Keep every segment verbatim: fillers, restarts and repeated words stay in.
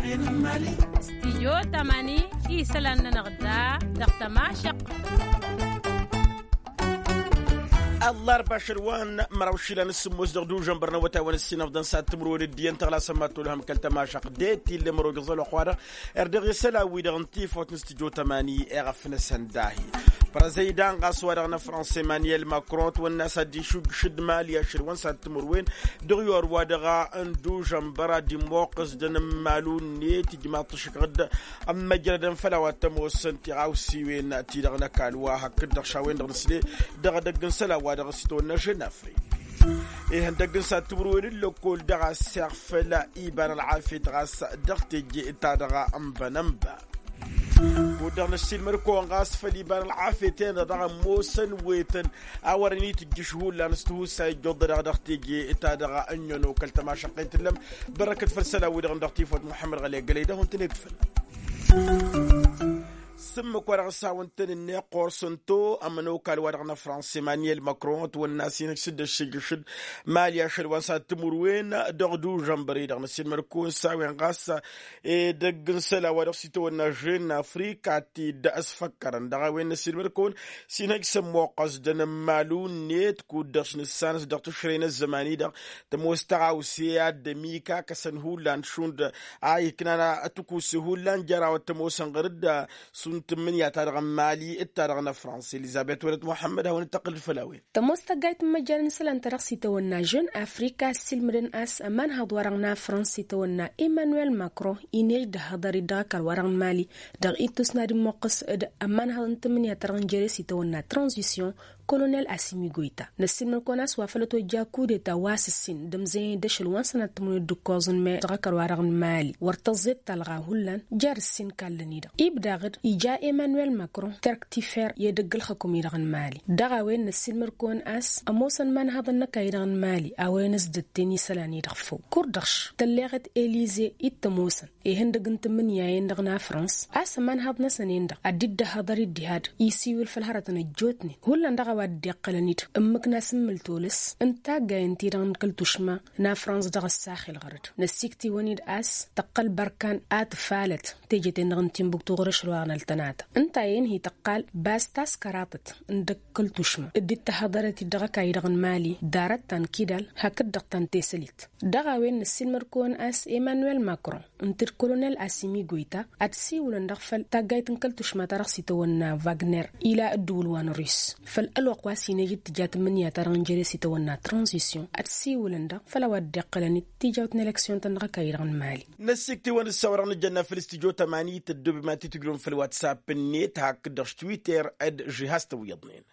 Stijyo tamani isălan-nănăɣ da dăɣ-tămašăɣt. Ăllarba ašăl wa n-măraw išilan s-sǝmmos dăɣ-dužănbăr n-awătay wa n-ăssinăfḍăn s-ad-timǝrwen d-iyyăn tăɣlasăn ma t-olhăm kăl-tămašăɣt d-e-t ille mărog iẓăl oxwa-dăɣ. Erdăɣ isălan-wi-dăɣ n-tifawt n-stijyo tamani eɣăf-năsăn dahi. Părăzăydan ɣas wa-dăɣ n-afrăns emanyel makron ătwănna s-ad-išujjǝš d-mali ašăl wa n-s-ad-timǝrwen dăɣ-iwar wa-dăɣ n-dužănbăr ad-immoqqǝs d-anǝmmalu-net ijmaḍ-t ǝššǝkɣǝd ămmăjrădăn făll-a-wa t-ămoosăn tiɣawsiwen-ti-dăɣ n-ăkall wa hakd-dăɣ šawen-dăɣ nǝsle dăɣ-edăgg n-isălan wa dăɣ-s itawănna žen afrik. Ihăndăgg n-s-ad-timǝrwen n-lăkkol dăɣ-a ăssiɣfăl iba n-ălɣafyăt ɣas dăɣ-teje ta dăɣ-ănbănănba. Kud-dăɣ năssiilmăd-kăwăn ɣas făll-iba n-ălɣafyăt-en-dăɣ dăɣ-ămoosăn wetăn a wărăn itǝjjǝš hullan s-tihussa ijjuḍ-dăɣ dăɣ-teje ta dăɣ-ănnono kăl-tămašăqqet tǝllăm. Bărrăkăt făll-isălan-wi-dăɣ dăɣ-tifawt muḥămmăd ɣăley gălăy d-ahun-tăn-ed făll-s ǝmmǝk wa dăɣ-s hawăn-tăn-ǝnneɣ ɣur-săn to ămănokal wa dăɣ-năfrăns emanyel makron ătwănna s-inhǝj s-dd-ăššǝjjǝš d-mali ašăl wa n-s-ad-timǝrwen dăɣ-dužănbăr-i-dăɣ năssiilmăd-kăwăn s-a-wen ɣas edăgg n-isălan wa dăɣ-s itawănna žen n-afrika ti dd-ăsfăkkărăn dăɣ-a-wen năssiilmăd-kăwăn s-inhăj s-ămmoqqăs d-anǝmmalu-net kud-dăɣ s-nǝssanăs dăɣ-tǝšrăy n-ăzzăman-i-dăɣ tămoos tăɣawse ad-dd-ămika kăsăn hullan šund a iknan tǝkusse hullan jer-a-wa t-ămoosăn ɣăr-dd šund tǝmmǝnǝya-ta-dăɣ n-mali d-ta-dăɣ n-afrăns elizăbet wălăt muḥămmăd a hawăn-dd-tăqqǝl-dd făll-a-wen. Tămoos tăggayt n-imăjjan n-isălan ta dăɣ-s itawănna žen afrika ăssiilmǝdăn a-s ămanhăḍ-wa-dăɣ n-afrăns itawănna emanuel makron inej d-ăhhăḍăr-dd dăɣ-ăkall-wa-dăɣ n-mali dăɣ-ittus n-ad-immuqqǝs d-ămanhăḍ n-tǝmmǝnǝya ta dăɣ-n jere s-itawănna tranzisyon kolonel asimi goyta năssiilmăd-kăwăn a-s wa făl ătojja kudeta wa s-ǝssin d-ămzăyăn d-ašăl wa n-sănat tǝmǝnǝya d-ǝkkoẓ n-me dăɣ-ăkall-wa-dăɣ n-mali wăr tăẓẓed talɣa hullan jer-ǝssin kallăn-i-dăɣ ibdaɣ-dd ija emanuel makron terk tifer i-edăgg ǝlxǝkum-i-dăɣ n-mali. Dăɣ-a-wen năssiilmăd-kăwăn a-s ămoosăn imanhaḍăn n-ăkall-i-dăɣ n-mali a-wen ăsdătten isălan-i-dăɣ făw kur-dăɣ š-tălleɣăt elize i t-ămoosăn ihăndăg n-tǝmmǝnǝya-en-dăɣ n-afrăns a-s ămanhaḍ-năsăn-en-dăɣ ad-dd-ăhhăḍăr-dd diha-dăɣ isiwǝl făll-hărătăn ăjjootnen hullan dăɣ-a-wa dd-iqqălăn-dd ǝmmǝk n-asǝmmǝl tolăs n-taggayăn-ti-dăɣ n-kăl-tušma n-afrăns dăɣ-ăssaxel ɣăr-dd năssiiktǝwăn-dd a-s tăqqăl bărkan ad-tǝfalăt teje-ten-dăɣ n-timbuktu ɣur-ašăl wa n-ăltănata ǝnta a inhi tăqqal bas taskăraḍăt n-dăkk kăl-tušma dd-tăhhăḍărăt-dd dăɣ-ăkall-i-dăɣ n-mali d-arăt ta n-kidal hakd-dăɣ ta n-tesălit. Dăɣ-a-wen năssiilmăd-kăwăn a-s emanuel makron ǝnta d-kolonel asimi goyta ad-siwǝlăn dăɣ-făll taggayt n-kăl-tušma ta dăɣ-s itawănna wagner ila ǝddǝwǝl wa n-rus făll-ălwăqq wa s-inăj d-tǝja tǝmmǝnǝya ta dăɣ-n jere s-itawănna tranzisyon ad-siwǝlăn dăɣ-făll-a-wa dd-iqqălăn d-tijawt n-eleksyon-tăn dăɣ-ăkall-i-dăɣ n-mali. Năssiiktǝwăn d-săwărăɣ nǝjănna făll-studyo tămani tăddoobem ad-t-tǝjrǝwăm făll-whatsapp-net hakd-dăɣ s-twitter d-žihaz tăwwiyăḍnen.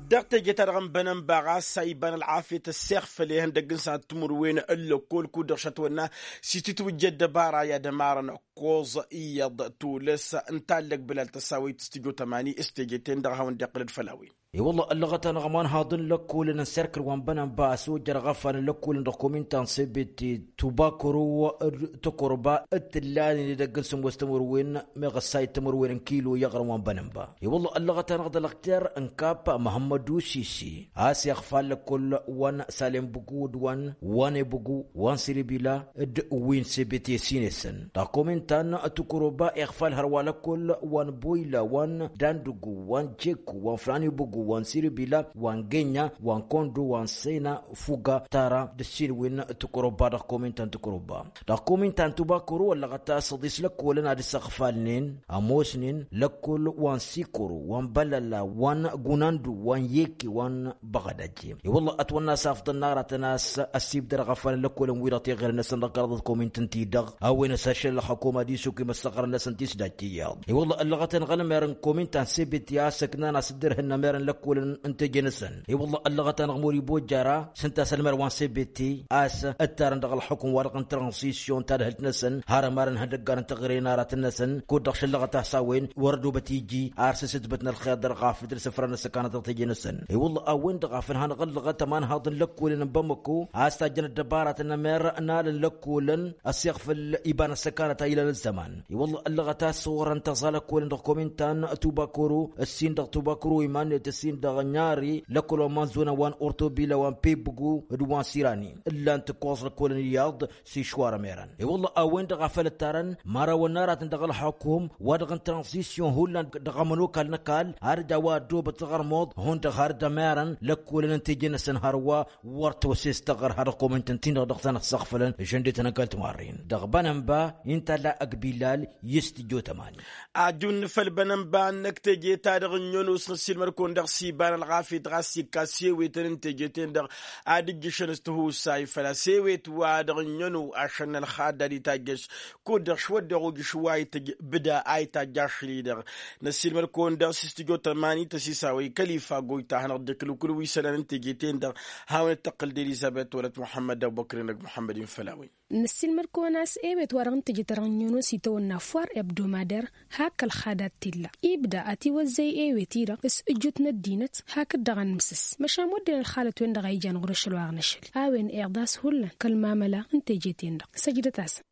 Dăɣ-teje-ta-dăɣ n-bănănba ɣas a iba n-ălɣafyăt ăssiɣfăl ihăndăgg n-sănat timǝrwen n-lăkkol kud-dăɣ šătwănna s-itǝtwǝjja ăddăbara i-ad-ămarăn ăkkoẓ iyyăḍ tulǝs n-tallăg bălal tăsawăyt studyo tămani s-teje-ten-dăɣ a hawăn-dd-iqqǝl d-făll-a-wen. I-wălla ăllăɣăt-anăɣ imanhaḍ n-lăkkolăn n-serkǝl wa n-bănănba a-s ojărăɣ afan n-lăkkolăn dăɣ-kominta n-sebet tubakăro d-tăkorba d-tǝllanen edăgg n-sǝmmos timǝrwen meɣ ăssayăt timǝrwen n-kilo i-aɣrǝm wa n-bănănba. I-wălla ăllăɣăt-anăɣ dăɣ-lăɣter n-kap măhămmădu sisi a-s iɣfal lăkkol wa n-salem bǝgu d-wa n-wa n-ebǝgu wa n-siribila d-wi n-sebet i-ăssin-esăn dăɣ-kominta n-tǝkoroba iɣfal hărwa lăkkol wa n-boyla wa n-dandǝgu wa n-jekku wa n-fran ebǝgu wa n-siribila wa n-genya wa n-kondo wa n-sena fuga tara d-ăssin wi n-tǝkoroba dăɣ-kominta n-tǝkoroba. Dăɣ-kominta n-tubakoro ăllăɣăt a-s ăḍis lăkkolăn ad-ǝssăɣfalnen ămoosnen lăkkol wa n-sikoro wa n-bălăla wa n-gunandu wa n-yekke wa n-băɣădaj. I-wălla ătwănna a-s afḍăn n-aratăn a-s ăssibdăr ăɣăfan n-lăkkolăn-wi-dăɣ teɣăre-năsăn dăɣ-kăraḍăt kominta n-tidăɣ a-wen ăsăššăl ălxăkum ad-isuk i-măssăɣrăn-năsăn tisdajt iyyăḍ. I-wălla ăllăɣăt-anăɣ ălmer n-kominta n-sebeti a-s ǝknan a-s dd-irhǝnna mer n-lăkkolăn n-teje-năsăn. I-wălla ăllăɣăt-anăɣ mori bojjara s-ǝnta a-s ălmer wa n-sebeti a-s ǝttarăn dăɣ-ălxukum-wa-dăɣ n-transisyon tadhǝlt-năsăn har ămarăn ihăndăggan n-teɣăre n-aratăn-năsăn kud-dăɣ šăllăɣăt a-s a-wen wăr ădobăt iji ar s-asǝtbăt n-ălxer dăr-ɣafăt d-sǝfran n-ăssăkanăt dăɣ-teje-năsăn. I-wălla a-wen-dăɣ a făl hanăɣ-ăllăɣăt ămanhaḍ n-lăkkolăn n-bamăko a-s tajjăn ăddăbaratăn ămer n-alăn lăkkolăn ăssiɣfăl iba n-ăssăkanăt a ilan ăzzăman. I-wălla ăllăɣăt a-s orăn tăẓa lăkkolăn dăɣ-kominta n-tubakoro ǝssin dăɣ-tubakoro iman-net. Sin-dăɣ ănn-arre lăkkol wa n-iman zona wa n-ortobila wa n-pebbu d-wa n-sirani ǝllan-t ǝkkoẓ lăkkolăn iyyăḍ s-išwar ămerăn. E-wălla a-wen-dăɣ a făl ǝttarăn imărawăn n-aratăn dăɣ-ălxukum wa-dăɣ n-tranzisyon hullan dăɣ-ămănokal n-ăkall har dd-a-wa ăddoobăt taɣărmuḍ hundăɣ har dd-ămerăn lăkkolăn n-teje-năsăn hărwa wăr tăwăses taɣăr ha-dăɣ komăyăn tăn-tin-dăɣ dăɣ-tanăt săɣfălăn žăndetăn ăggal timarren dăɣ-bănănba. Inta ălla ăgg billal i-s tǝjjo tămani. Ajun făll-bănănba-năk teje-ta-dăɣ ǝnyon osnăssilmăr-kăwăn dăɣ-s iba n-ălɣafyăt ɣas ikka s-ewetăn n-teje-ten-dăɣ ad-ǝjjǝšăn s-tihusay făl-a-s ewet-wa-dăɣ ǝnyon ašăn n-ălxadda d-itajjăš kud-dăɣ šwăddeɣ ujǝš wa itǝjj bǝda a itajj ašli-dăɣ. Năssilmăr-kăwăn dăɣ-s s-tǝjjo tămani tăsisawăy kăl-ifa goyta hanăɣ-dd-ǝklǝw kǝl wi isălan n-teje-ten-dăɣ. Hawăn-dd-tăqqǝl d-elizăbet wălăt muḥămmăd d-abubăkr-in d-muḥămmăd-in făll-a-wen. Năssiilmăd-kăwăn a-s ewet-wa-dăɣ n-teje-ta-dăɣ n-inyănos itawănna foar ebdomăder hak ălxadat t-illa ibda ătiwăzzăy ewet-i-dăɣ s-ǝjjut n-ăddinăt hakd-dăɣ a nǝmsǝs. Măšan wădden ălxalăt-wen-dăɣ a ijan ɣur-ašăl wa ɣnăšăl a-wen iḍas hullan kăl-mamăla n-teje-ten-dăɣ. Săjdăt-asăn.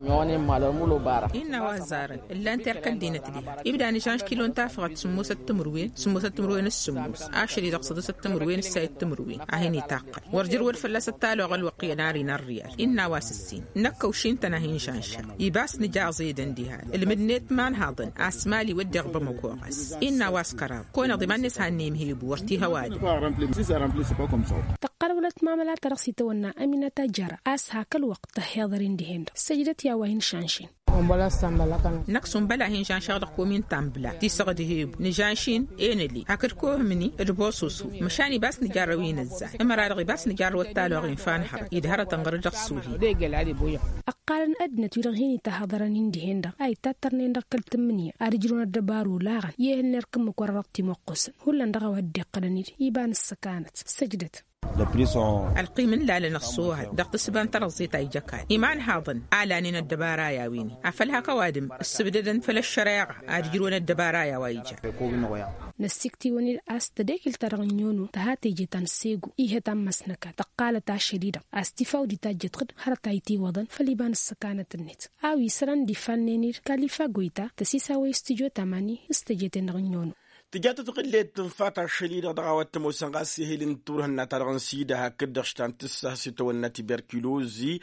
Innă wa ăzzarăn ǝllan terk ăddinăt diha ibda nǝžanš kilo n-tafăɣăt sǝmmosăt timǝrwen sǝmmosăt timǝrwen s-sǝmmos ašăl-i-dăɣ săḍisăt timǝrwen s-sayăt timǝrwen. A hin-itaqqăl wăr jăr wăr fălla-s ăttaloɣ ălwăqq iyyăn ar ină ărriyal. Innă wa s-ǝssin năkk ăwšin-tăn a hin-žanša ibas nǝjaẓ edăn diha ǝlmǝd-net imanhaḍăn a-s mali wădden bămăko ɣas. Innă wa s-kăraḍ kăwăn-iḍ iman-net hannăyăm hebu wăr t-ihăw adǝm. Tăqqăl wălăt mamăla-ta-dăɣ s-itawănna ăminăt ajjăra a-s hak ălwăqq tăhhiḍăr-in dihen-dăɣ săjdăt i-a-wa hin-šanšen. Năkk s-unbăla hin-žanšăɣ dăɣ-komin tambla tisăɣ d-hebu nǝžanš-in enăli hakd kohǝmni d-bososo. Măšan ibas nǝjarrăw inǝzzay ǝmăra-dăɣ ibas nǝjarrăw ăttaloɣ infa n-hărăt idhărătăn ɣǝr-dăɣ s-uhi. Ăqqalăn ăddinăt-wi-dăɣ hin-itahăḍărăn-in dihen-dăɣ a ittattărnen dăɣ-kăl-tǝmmǝnǝya ad-ǝjrǝwăn ăddăbaru laɣăn i-ehăn n-erk ǝmmǝk wăr-dăɣ timăqqusăn hullan dăɣ-a-wa dd-iqqălăn-dd iba n-ǝssăkanăt. Săjdăt. Ălqim n-lalăn ăṣṣoohăt dăɣ-tǝssǝba n-tărăẓẓet a ija kan imanhaḍăn a lanen ăddăbara i-a-wen-i afăl hak ăwadǝm ǝssǝbdădăn făll-ăššăreɣa ad-ǝjrǝwăn ăddăbara i-a-wa ija. Năssikt'-iwăn-dd a-s tădekǝlt-ta-dăɣ n-inyono tǝha teje ta n-segu ihăt ammăs n-ăkall tăqqalăt ašăl-i-dăɣ a-s tifaw d-itajjăt ɣǝd hărăt a itiwăḍăn făll-iba n-ǝssăkanăt-net. A-wi isălan d-ifannen-dd kalifa goyta tăsisawăy s-tǝjot amani s-teje-ten-dăɣ n-inyono. Tǝja tătɣǝllet tǝnfa tašăl-i-dăɣ dăɣ-a-wa t-ămoosăn ɣas ehel n-turhǝnna-ta-dăɣ n-sida hakd-dăɣ štan tǝssa s-itawănna tiberkilozi.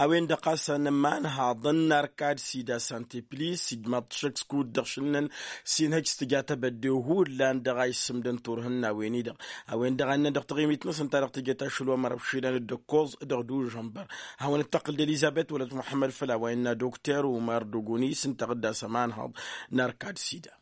A-wen-dăɣ ɣas a nǝmanhaḍăn n-arkad sida santeplis ijmaḍ-t šăkk s-kud-dăɣ šǝnnăn s-inhăj s-tǝja tebădde hullan dăɣ-a issǝmdăn turhǝnna-wen-i-dăɣ. A-wen-dăɣ a innăn dăɣ-taɣimit-năsăn ta dăɣ-tǝjăt ašăl wa mărăb šilăn d-ǝkkoẓ dăɣ-dužănbăr. Hawăn-dd-tăqqǝl d-elizăbet wălăt muḥămmăd făll-a-wa innă dokter umar d-ogonis ǝnta ɣǝdda s-ămanhăḍ n-arkad sida.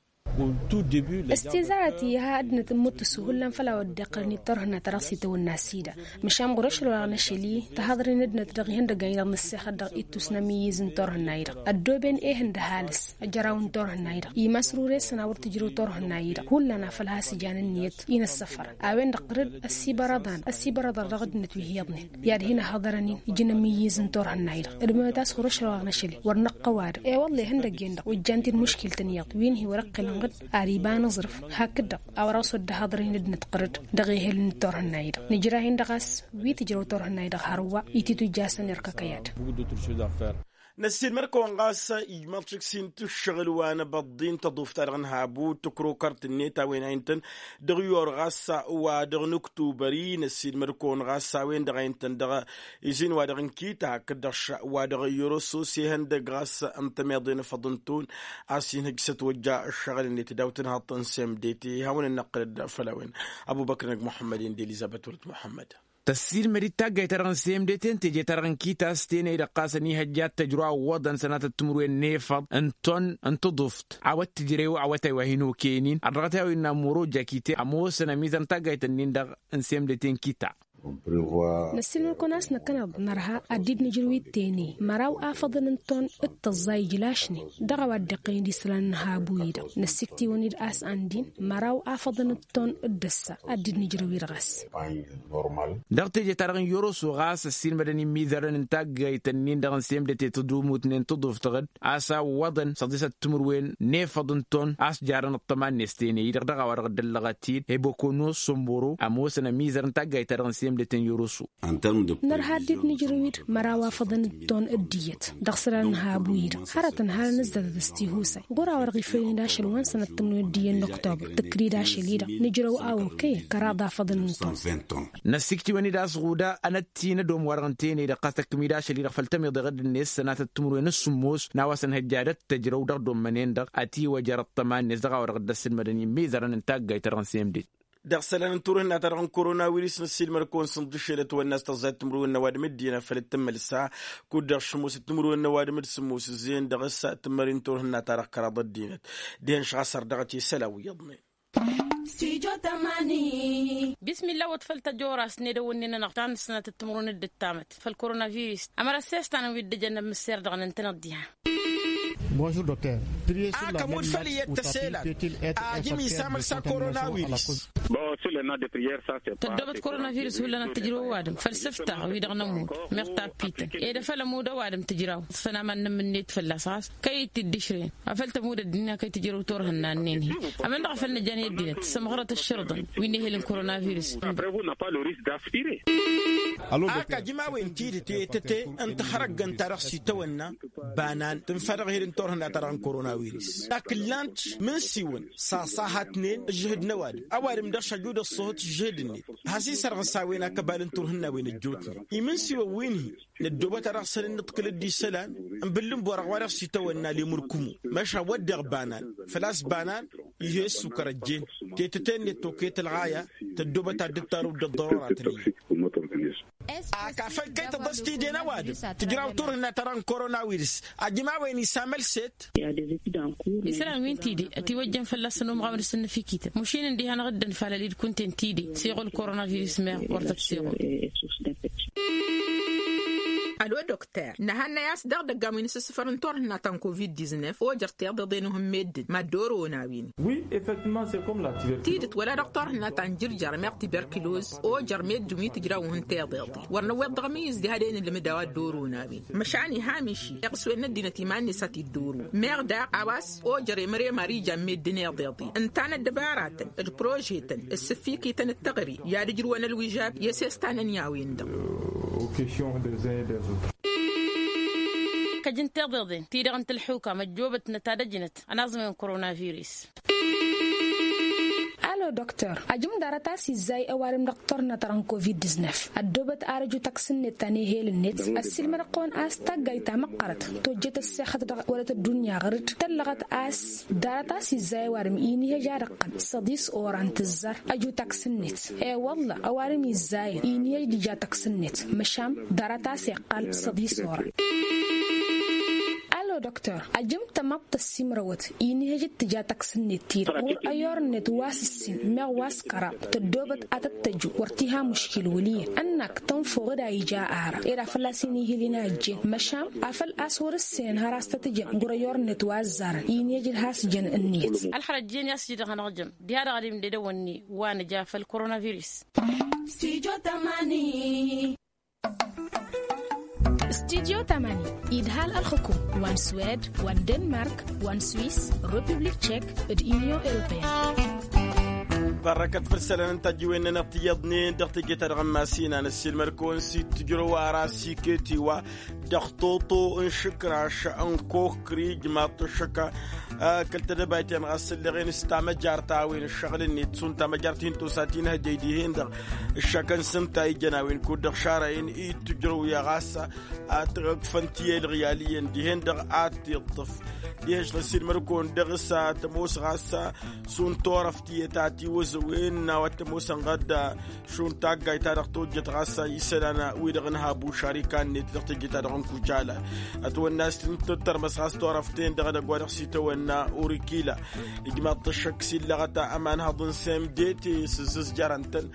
S-tezarăt iha ăddinăt ămmuttus hullan făll-a-wa dd-iqqălăn i-turhǝnna ta dăɣ-s itawănna sida. Măšan ɣur-ašăl wa ɣnăšăl-i tahăḍăr-in ăddinăt dăɣ-ihăndăggan-i-dăɣ n-ǝssexăt dăɣ-ittus n-ămiyyǝz n-turhǝnna-i-dăɣ ăddooben ehăn d-ăhalǝs ăjăraw n-turhǝnna-i-dăɣ imasrur-esăn a wăr tǝjrǝw turhǝnna-i-dăɣ hullan afăl has-ijan ǝnniyăt-i n-ăssăfărăn. A-wen-dăɣ ɣǝr-dd ăssibărăḍan ăssibărăḍăr dăɣ-ăddinăt wi hi-iyyăḍnen i-ad-hin-ăhhăḍărăn ijăn ămiyyǝz n-turhǝnna-i-dăɣ. Ădmănăt a-s ɣur-ašăl wa ɣnăšăl-i wăr năqqăw-adǝm i-wălla ihăndăgg-en-dăɣ ojjan-t-dd muškil-tăn iyyăḍ wi n-hi-wăr-ăqqilăn ɣǝd. Ar iba n-aẓrǝf hakd-dăɣ a wăr-ăswădda haḍăr-in ăddinăt ɣǝr-dd dăɣ-ehel n-turhǝnna-i-dăɣ nǝjrah-in-dăɣ a-s wi tǝjrăw turhǝnna-i-dăɣ hărwa ititujj a-s ănerkăkăy ad-dăɣ. Năssiilmăr-kăwăn ɣas ijmaḍ šik s-in-t ǝššăɣǝl wa n-abăḍḍi n-tăḍuft-ta-dăɣ n-habu tǝkrokărt-net a-wen a intăn dăɣ-iyor ɣas wa dăɣ-nǝktubări. Năssiilmăr-kăwăn ɣas a-wen-dăɣ a intăn dăɣ-izin wa dăɣ-inkita hakd-dăɣ wa dăɣ-iroso s-ihăndăgg ɣas n-tămeḍe n-afăḍ n-ton a-s inhǝj s-ătwăjja ǝššăɣǝl-net daw-tǝnhăḍt n-semdete. Hawăn-ănnăqqǝlăd făll-a-wen ăbubăkr-năg muḥămmăd-in d-elizăbet wălăt muḥămmăd. Tăssiilmăd-dd taggayt-ta-dăɣ n-semdete n-teje-ta-dăɣ n-kitas tenăy-dăɣ ɣas ănihăjja ad-tăjrǝw awwăḍăn sănatăt timǝrwen n-efăḍ n-ton n-tǝḍuft a-wa t-tǝjrew awătay wa hin-okăyăn-in ărdăɣăt i-a-wa innă moro jakite ămoosăn ămizăr n-taggayt-nin-dăɣ n-semdete n-kita. Năssiilmăd-kăwăn a-s năkkăneḍ nărha ad-dd-nǝjrǝw-dd tenăy măraw afăḍăn n-ton d-tăẓẓa ijlašnen dăɣ-a-wa dd-iqqălăn d-isălan n-habu-i-dăɣ. Năssikt'-iwăn-dd a-s ăndin măraw afăḍăn d-ton d-ăssa ad-dd-nǝjrǝw-dd ɣas. Dăɣ-teje-ta-dăɣ n-yoroso ɣas ăssiilmădăn imizărăn n-taggayt-nin-dăɣ n-semdete tădumutnen tǝḍuft ɣǝd a-s awwăḍăn săḍisăt timǝrwen n-efăḍ n-ton a-s jarăn ăṭṭăma-net tenăy-i-dăɣ dăɣ-a-wa dăɣ-dd-ăllăɣăt-dd ebokono somboro ămoosăn ămizăr n-taggayt-ta-dăɣ n-semdete. N-deten yoroso. Nărha ăddinăt nǝjrăw-dd măraw afăḍăn d-ton d-iyyăt dăɣ-isălan n-habu-i-dăɣ hărătăn hal ănǝzzadăd s-tihusay ɣur-a-wa-dăɣ ifăyăn d-ašăl wa n-sănăt timǝrwen d-iyyăn n-oktobăr tǝkkǝl-dd ašăl-i-dăɣ nǝjrăw a okăyăn kăraḍ afăḍăn n-ton. Năssiktǝwăn-dd a-s ɣuda ănăttinădom wa-dăɣ ǝntăyăn-i-dăɣ ɣas tăkkǝm-dd ašăl-i-dăɣ făll-tămiḍeɣ d-net sănatăt timǝrwen s-sǝmmos n-a-wa s-ănhăjja d-ăttăjrăw dăɣ-dd-ommănen-dăɣ ătiwăjăr ăṭṭăma-net dăɣ-a-wa dăɣ-dd-ăssilmădăn immizărăn n-taggayt-ta-dăɣ n-semdet. Dăɣ-isălan n-turhǝnna-ta-dăɣ n-korona wirǝs năssiilmăr-kăwăn sǝnḍǝšel ătwănna a-s tăẓẓayăt timǝrwen n-ăwadǝm ăddinăt făll-tǝmmălsa kud-dăɣ šămosăt timǝrwen n-ăwadǝm d-sǝmmos ǝzzeyăn dăɣ-s tǝmmări n-turhǝnna-ta-dăɣ kăraḍ ăddinăt. Dihen šăɣ a-s ărdăɣăt isălan wi iyyăḍnen. Bismilla wăt făll-tăjora a-s n-edăwănnen-anăɣ ta n-ǝssǝnatăt timǝrwen d-ǝttamăt făll-korona virǝs ămăra s-e-s tanăn wi dd-ǝjăn ămmǝsser dăɣ-nǝntăneḍ diha. Akămud făll-iyyăt tăselan ajǝm isamăl s-a korona wirǝs. Tăddoobăt korona virǝs hullan ad-tǝjrǝw ăwadǝm făll-sǝfta wi-dăɣ nămud meɣ tappităn ed afăl ămud ăwadǝm tǝjraw. Fănaman n-ǝmmǝnnet fălla-s ɣas kăy-dd-dd-išrǝyăn afăl tămud ăddinăya kăy-tǝjrăw turhǝnna-nen hi-ămăn-dăɣ a făl nǝjjan i-ăddinăt sămɣărăt ǝššărǝḍăn wi n-ehel n-korona virǝs. Ak ajǝm a-wen tidǝt i-tăte n-tăxrăggăn-ta-dăɣ s-itawănna banan tǝnfa dăɣ-ehel n-turhǝnna-ta-dăɣ n-korona virǝs. Ak ǝllan-t imǝnsiwăn s-aṣahatnen ǝžžǝhǝd n-ăwadǝm ăwadǝm dăɣ-s ăjud ăṣṣuhǝt ǝžžǝhǝd-net. Has-isărɣǝs a-wen akăbal n-turhǝnna a-wen ăjjootnen imǝnsiwăn wi n-hi-năddoobăt ad-dăɣ-săn ǝnnǝḍkǝl-dd isălan n-bǝllǝnborăɣ wa dăɣ-s itawănna lemurkǝmu. Măšan wădden banan făl-a-s banan ih'-e ăssukăr ăjjeen tetăte-net tokăyăt ălɣaya tăddoobăt ad-dd-tarǝw d-ăḍḍărora tănǝyyăt. Ak afăl kăy-tăḍăs tide n-ăwadǝm tǝjraw turhǝnna-ta-dăɣ n-korona wirǝs ajǝm a-wen isamăl s-et. Isălan wi n-tide ătiwăjjăn fălla-săn umɣaw n-asǝnnǝfikităn mušin-ǝndiha-năɣ dd-ănfalăl-dd kunta-en tide seɣul korona virǝs meɣ wăr tăt-seɣul. Ălo dokter nǝhannăy a-s dăɣ-idăggan wi n-asǝssǝfăr n-turhǝnna ta n-covid-diznef ojăr tiḍeḍen uhǝm meddǝn mad-dd-orăwăn a-wen. Tidǝt wăla dăɣ-turhǝnna ta n-jǝrjar meɣ tiberkiloz ojăr meddǝn wi tǝjrawăn tiḍeḍen wăr năwweḍ dăɣ-ămǝyyǝz diha d-e-nǝlmǝd a-wa dd-orăwăn a-wen. Măšan iha-miši iɣǝswen n-ăddinăt iman-net a t-dd-orăwăn meɣ daɣ a-wa s-ojăr emăr emar ijan meddǝn iḍeḍen ǝnta n-ăddăbaratăn d-prožetăn d-sǝffikităn d-teɣăre i-ad-ǝjrǝwăn ălwižab i-ăsestanăn i-a-wen-dăɣ. Kăj n-tiḍeḍen ti-dăɣ n-tălḥukam ăjjoobătnăt ad-ăjnăt ănaẓmăy n-korona virǝs. Alo doktor ajǝm ḍarăt a-s izzay ăwadǝm dăɣ-turhǝnna-ta-dăɣ n-covid-diznef ăddoobăt ar ăju taksǝn-net ta n-ehel-net. Ăssiilmădăɣ-kăwăn a-s taggayt ta măqqărăt tojjet ăssexăt dăɣ-wălăt ăddunya ɣăr-dd tăllăɣăt a-s ḍarăt a-s izzay ăwadǝm inihăj ad-ǝqqǝl săḍis oran tǝzzar ăju taksǝn-net. I-wălla ăwadǝm izzayăn inihăj d-ija taksǝn-net măšan ḍarăt a-s iqqal săḍis oran. Alo doktor ajǝm tămaḍt tăssimrăwăt inihăj d-tǝja taksǝn-net-ti-dăɣ ɣur-ăyor-net wa s-ǝssin meɣ wa s-kăraḍ tăddoobăt ad-tăt-tăju wăr t-iha muškil wăl' iyyăn ănnak tănfăw d-a ija ara ed a făl-a-s inihǝl-in a ăjjeen măšan afăl a-s wăr-ǝssenăn har a-s tăt-ǝjăn ɣur-ăyor-net wa ăzzarăn inihăj d-has-jăn ǝnniyăt. Ălxărăt jen i-a-s j-dăɣ-hanăɣ-jăm diha-dăɣ ad-imded ăwănni wa nǝja făll-korona virǝs. Stujo tamani. Stujo tamani idhal ălxǝkum wa n-swed wa n-denmark wa n-swis, republik tchek, d-inyon europeen. Barrăkăt făll-isălan n-tajǝwen-nănăɣ tiyyăḍnen dăɣ-teje-ta-dăɣ n-masinăn ăssiilmăd-kăwăn s-itǝjrăw ara s-iket iwa dăɣ-toto n-išǝkraš n-kokri ijmaḍ-t ăššăk. Kăl-tedăbayt-en ɣas ǝlleɣen s-tamăjart a-wen ǝššăɣǝl-net šund tamăjart hin-tosa tinhăjăy dihen-dăɣ ǝššăk n-sǝnta ijăn a-wen kud-dăɣ šarăyăn i-tǝjrăw i-ɣas ad-t-ăkfăn ti-elɣyal iyyăn dihen-dăɣ ad-t-iṭṭǝf. Dihen-š n-ăssiilmăd-kăwăn dăɣ-s ad-t-ămoos ɣas šund turăft tiyyăt a tiwăzăwen n-a-wa t-ămoosăn ɣad šund taggayt-ta-dăɣ tojjăt ɣas isălan-wi-dăɣ n-habu šarikan-net dăɣ-teje-ta-dăɣ n-kujala. Ătwănna a-s tǝttărmăs ɣas turăft-en-dăɣ edăgg wa dăɣ-s itawănna urikila. Ijmaḍ-t ăššăk s-illăɣăt amanhăḍ n-semdet s-ǝzzǝzjarăn-tăn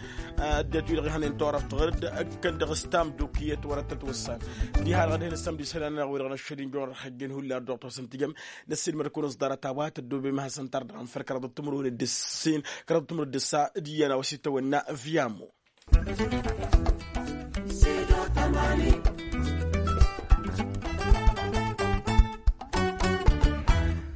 ăddinăt-wi-dăɣ ihănen turăft ɣur-dd ǝkkăn dăɣ-s tamduk iyyăt wăr-ăttătwăssan. Diha-dăɣ ad-hin-ăssămd isălan-nănăɣ wi-dăɣ n-ăššăl injăwăn ărhăjjăn hullan ăddoɣ tosăn tǝjăm. Năssiilmăd-kăwăn s-ḍarăt a-wa tăddoobem ad-hasăn-tardăɣăm făll-kăraḍăt timǝrwen d-ǝssin kăraḍăt timǝrwen d-ǝssa d-iyyăn a-wa s-itawănna vyamo.